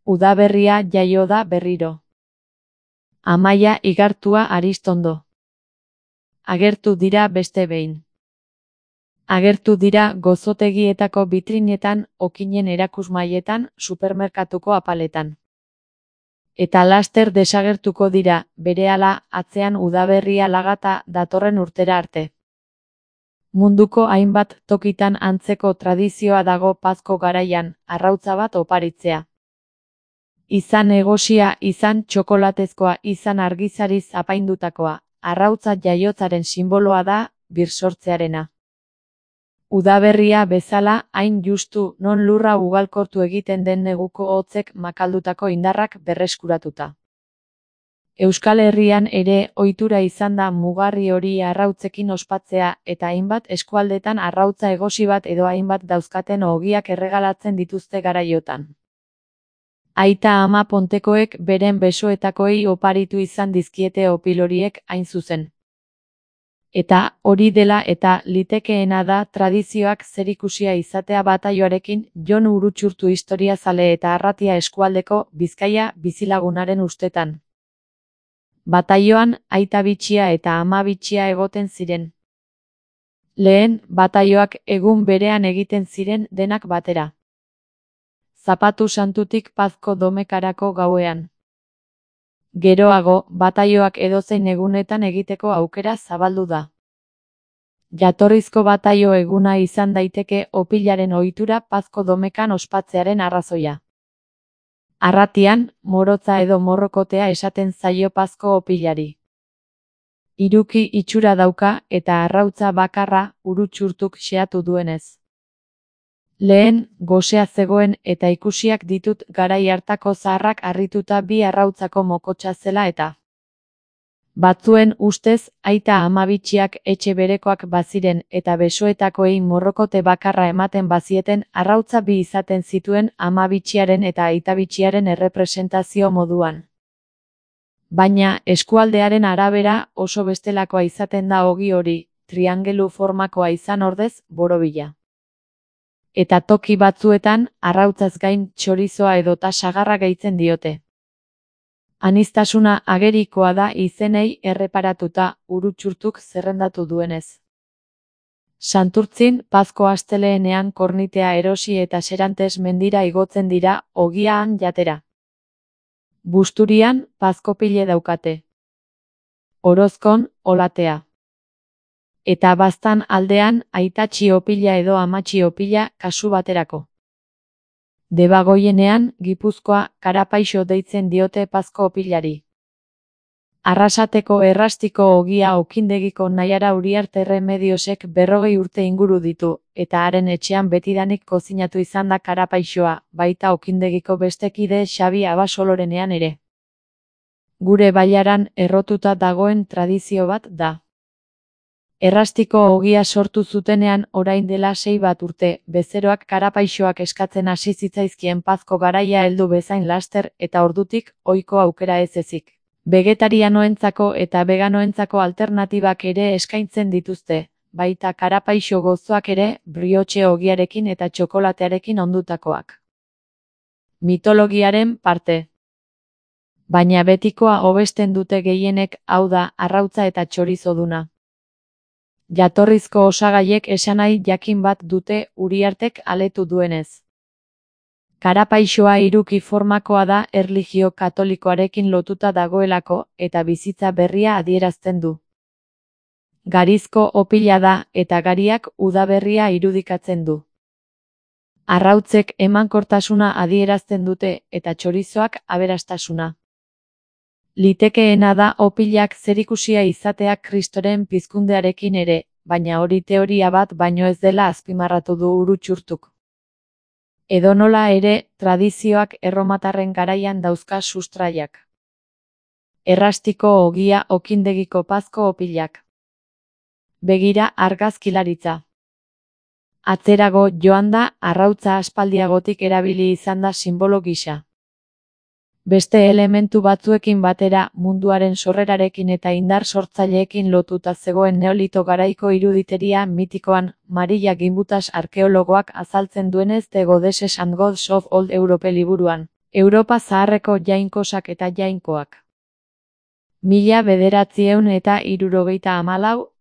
Udaberria jaio da berriro. Amaia igartua Aristondo. Agertu dira beste behin. Agertu dira gozotegietako bitrinetan, okinen erakusmaietan, supermerkatuko apaletan. Eta laster desagertuko dira, berehala, atzean udaberria lagata datorren urtera arte. Munduko hainbat tokitan antzeko tradizioa dago Pazko garaian, arrautza bat oparitzea. Izan egosia, izan txokolatezkoa, izan argizariz apaindutakoa, arrautza jaiotzaren sinboloa da, birsortzearena. Udaberria bezala, hain justu, non lurra ugalkortu egiten den neguko hotzek makaldutako indarrak berreskuratuta. Euskal Herrian ere ohitura izan da mugarri hori arrautzekin ospatzea eta hainbat eskualdetan arrautza egosi bat edo hainbat dauzkaten ogiak erregalatzen dituzte garaiotan. Aita ama pontekoek beren besoetakoei oparitu izan dizkiete opiloriek hain zuzen. Eta hori dela eta litekeena da tradizioak zerikusia izatea bataioarekin Jon Urutxurtu historiazale eta Arratia eskualdeko Bizkaia bizilagunaren ustetan. Bataioan aita bitxia eta ama bitxia egoten ziren. Lehen, bataioak egun berean egiten ziren denak batera. Zapatu santutik Pazko domekarako gauean. Geroago, bataioak edozein egunetan egiteko aukera zabaldu da. Jatorrizko bataio eguna izan daiteke opilaren ohitura Pazko domekan ospatzearen arrazoia. Arratian, morotza edo morrokotea esaten zaio Pazko opilari. Hiruki itxura dauka eta arrautza bakarra Urutxurtuk xeatu duenez. Lehen, gosea zegoen eta ikusiak ditut garai hartako zaharrak harrituta bi arrautzako mokotsa zela eta. Batzuen ustez, aita ama bitxiak etxe berekoak baziren eta besoetakoei morrokote bakarra ematen bazieten arrautza bi izaten zituen ama bitxiaren eta aita bitxiaren errepresentazio moduan. Baina, eskualdearen arabera oso bestelakoa izaten da ogi hori, triangelu formakoa izan ordez, borobila. Eta toki batzuetan, arrautzaz gain txorizoa edota sagarra gehitzen diote. Aniztasuna agerikoa da izenei erreparatuta Urutxurtuk zerrendatu duenez. Santurtzin, Pazko asteleenean kornitea erosi eta Serantes mendira igotzen dira ogiaan jatera. Busturian, Pazkopile daukate. Orozkon, olatea. Eta Baztan aldean, aitatxi opila edo amatxi opila kasu baterako. Debagoienean, Gipuzkoa, Karapaixo deitzen diote Pazko opilari. Arrasateko errastiko ogia okindegiko Naiara Uriarte Remediosek 40 urte inguru ditu, eta haren etxean betidanik kozinatu izan da Karapaixoa, baita okindegiko beste kide Xabi Abasolorenean ere. Gure bailaran errotuta dagoen tradizio bat da. Errastiko ogia sortu zutenean orain dela 6 bat urte, bezeroak Karapaixoak eskatzen hasi zitzaizkien Pazko garaia heldu bezain laster eta ordutik ohiko aukera ez ezik. Vegetarianoentzako eta veganoentzako alternatibak ere eskaintzen dituzte, baita Karapaixo gozoak ere, brioche ogiarekin eta txokolatearekin ondutakoak. Mitologiaren parte. Baina betikoa hobesten dute gehienek, hau da, arrautza eta txorizoduna. Jatorrizko osagaiek esanahi jakin bat dute Uriartek aletu duenez. Karapaixoa hiruki formakoa da erlijio katolikoarekin lotuta dagoelako eta bizitza berria adierazten du. Garizko opila da eta gariak udaberria irudikatzen du. Arrautzek emankortasuna adierazten dute eta txorizoak aberastasuna. Litekeena da opilak zerikusia izateak Kristoren pizkundearekin ere, baina hori teoria bat baino ez dela azpimarratu du Urutxurtuk. Edonola ere, tradizioak erromatarren garaian dauzka sustraiak. Errastiko ogia okindegiko Pazko opilak. Begira argazkilaritza. Atzerago joan da, arrautza aspaldiagotik erabili izan da sinbolo gisa. Beste elementu batzuekin batera munduaren sorrerarekin eta indar sortzaileekin lotuta zegoen neolito garaiko iruditeria mitikoan, Maria Gimbutas arkeologoak azaltzen duenez The Goddesses and Gods of Old Europe liburuan, Europa zaharreko jainkosak eta jainkoak. 1974.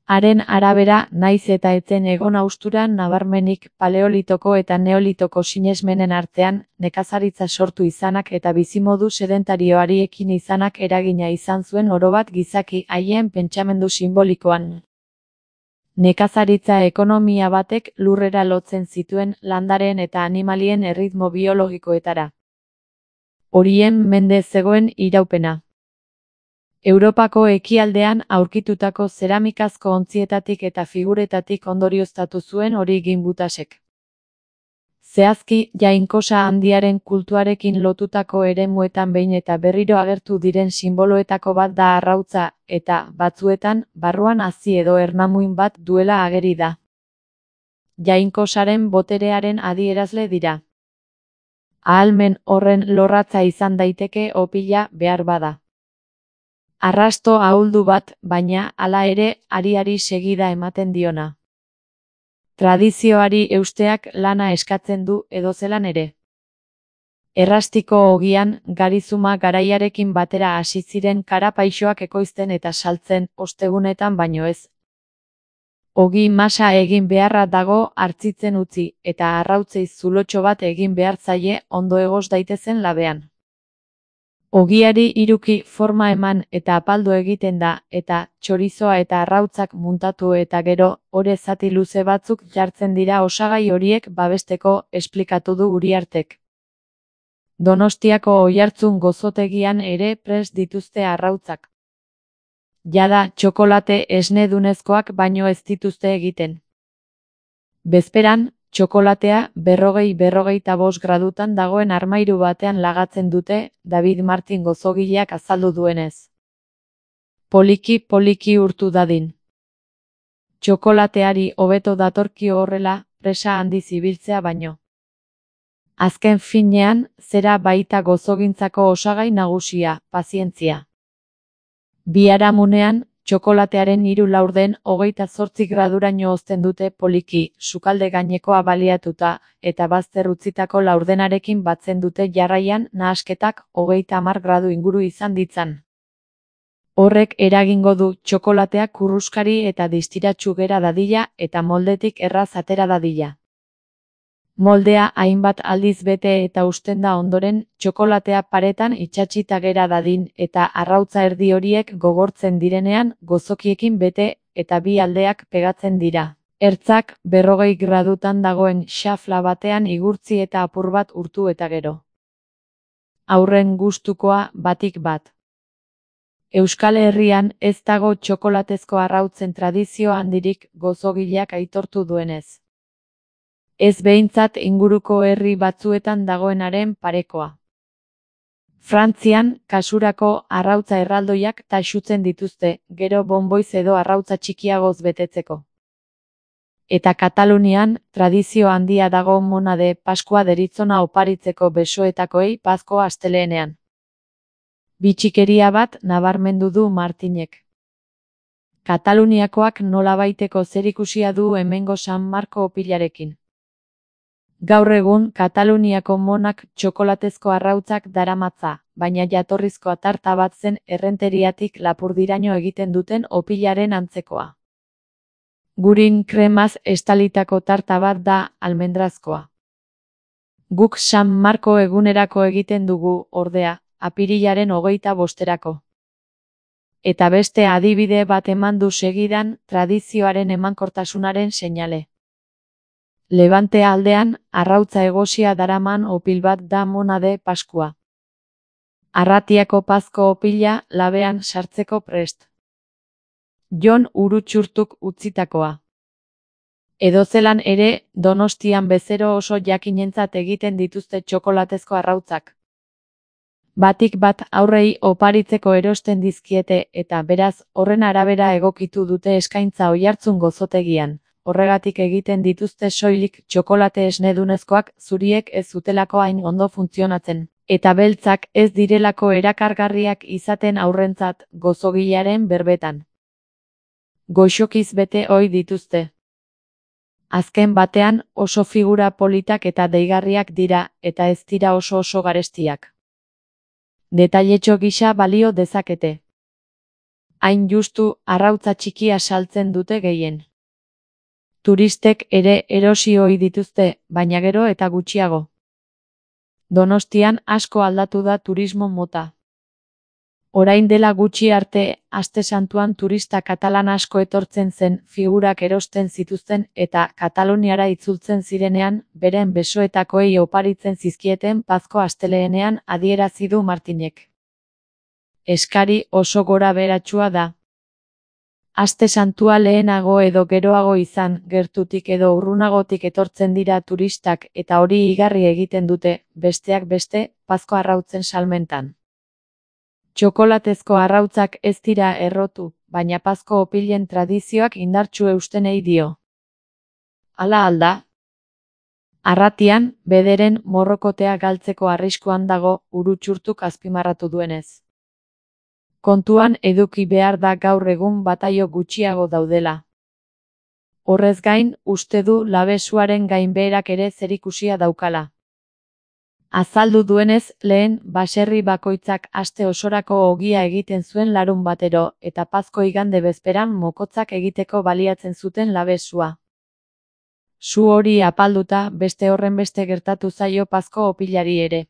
Haren arabera, naiz eta etzen egon hausturan nabarmenik paleolitoko eta neolitoko sinesmenen artean, nekazaritza sortu izanak eta bizimodu sedentarioari ekin izanak eragina izan zuen orobat gizaki haien pentsamendu simbolikoan. Nekazaritza ekonomia batek lurrera lotzen zituen landareen eta animalien erritmo biologikoetara. Horien mende zegoen iraupena. Europako ekialdean aurkitutako zeramikazko ontzietatik eta figuretatik ondorioztatu zuen hori Gimbutasek. Zehazki, jainkosa handiaren kultuarekin lotutako eremuetan behin eta berriro agertu diren sinboloetako bat da arrautza, eta, batzuetan, barruan hazi edo ernamuin bat duela ageri da. Jainkosaren boterearen adierazle dira. Ahalmen horren lorratza izan daiteke opila behar bada. Arrasto ahuldu bat, baina, hala ere, ariari segida ematen diona. Tradizioari eusteak lana eskatzen du edozelan ere. Errastiko ogian, garizuma garaiarekin batera hasi ziren karapaixoak ekoizten eta saltzen, ostegunetan baino ez. Ogi masa egin beharra dago hartzitzen utzi, eta arrautzei zulotxo bat egin behar zaie ondo egos daitezen labean. Ogiari hiruki forma eman eta apaldu egiten da, eta txorizoa eta arrautzak muntatu eta gero, ore zati luze batzuk jartzen dira osagai horiek babesteko, esplikatu du Uriartek. Donostiako Oiartzun gozotegian ere prest dituzte arrautzak. Jada, txokolate esnedunezkoak baino ez dituzte egiten. Bezperan, txokolatea 40-45 gradutan dagoen armairu batean lagatzen dute, David Martin gozogileak azaldu duenez. Poliki urtu dadin. Txokolateari hobeto datorkio horrela, presa handiz ibiltzea baino. Azken finean, zera baita gozogintzako osagai nagusia, pazientzia. Biharamunean, txokolatearen 3 laurden 28 graduraino hozten dute poliki, sukalde gainekoa baliatuta, eta bazter utzitako laurdenarekin batzen dute jarraian nahasketak 30 gradu inguru izan ditzan. Horrek eragingo du txokolatea kurruskari eta distiratsu gera dadila eta moldetik erraz atera dadila. Moldea hainbat aldiz bete eta usten da ondoren, txokolatea paretan itsatsita gera dadin eta arrautza erdi horiek gogortzen direnean gozokiekin bete eta bi aldeak pegatzen dira. Ertzak 40 gradutan dagoen xafla batean igurtzi eta apur bat urtu eta gero. Haurren gustukoa batik bat. Euskal Herrian ez dago txokolatezko arrautzen tradizio handirik gozogileak aitortu duenez. Ez behintzat inguruko herri batzuetan dagoenaren parekoa. Frantzian, kasurako arrautza erraldoiak taxutzen dituzte, gero bonboiz edo arrautza txikiagoz betetzeko. Eta Katalunian, tradizio handia dago mona de Paskua deritzona oparitzeko besoetakoei Pazko asteleenean. Bitxikeria bat nabarmendu du Martinek. Kataluniakoak nolabaiteko zerikusia du hemengo San Marko opilarekin. Gaur egun, Kataluniako monak txokolatezko arrautzak daramatza, baina jatorrizko tarta bat zen Errenteriatik Lapurdiraino egiten duten opilaren antzekoa. Gurin kremaz estalitako tarta bat da almendrazkoa. Guk San Marko egunerako egiten dugu, ordea, apirilaren 25erako. Eta beste adibide bat eman du segidan, tradizioaren emankortasunaren seinale. Levante aldean, arrautza egosia daraman opil bat da mona de Paskua. Arratiako Pazko opila labean sartzeko prest. Jon Urutxurtuk utzitakoa. Edozelan ere, Donostian bezero oso jakinentzat egiten dituzte txokolatezko arrautzak. Batik bat aurrei oparitzeko erosten dizkiete eta beraz horren arabera egokitu dute eskaintza Oiartzun gozotegian. Horregatik egiten dituzte soilik txokolate esnedunezkoak zuriek ez zutelako hain ondo funtzionatzen, eta beltzak ez direlako erakargarriak izaten aurrentzat gozogilearen berbetan. Goxokiz bete ohi dituzte. Azken batean oso figura politak eta deigarriak dira, eta ez dira oso garestiak. Detailetxo gisa balio dezakete. Hain justu, arrautza txikia saltzen dute gehien. Turistek ere erosi ohi dituzte, baina gero eta gutxiago. Donostian asko aldatu da turismo mota. Orain dela gutxi arte, Aste Santuan turista katalan asko etortzen zen, figurak erosten zituzten eta Kataluniara itzultzen zirenean, beren besoetakoei oparitzen zizkieten Pazko asteleenean adierazi du Martinek. Eskari oso gorabeheratsua da. Aste Santua lehenago edo geroago izan, gertutik edo urrunagotik etortzen dira turistak eta hori igarri egiten dute, besteak beste, Pazko arrautzen salmentan. Txokolatezko arrautzak ez dira errotu, baina Pazko opilen tradizioak indartsu eustenei dio. Hala alda? Arratian, bederen morrokotea galtzeko arriskuan dago, Urutxurtuk azpimarratu duenez. Kontuan eduki behar da gaur egun bataio gutxiago daudela. Horrez gain, uste du labesuaren gainbeherak ere zerikusia daukala. Azaldu duenez, lehen, baserri bakoitzak aste osorako ogia egiten zuen larunbatero, eta Pazko igande bezperan mokotzak egiteko baliatzen zuten labesua. Su hori apalduta, beste horrenbeste gertatu zaio Pazko opilari ere.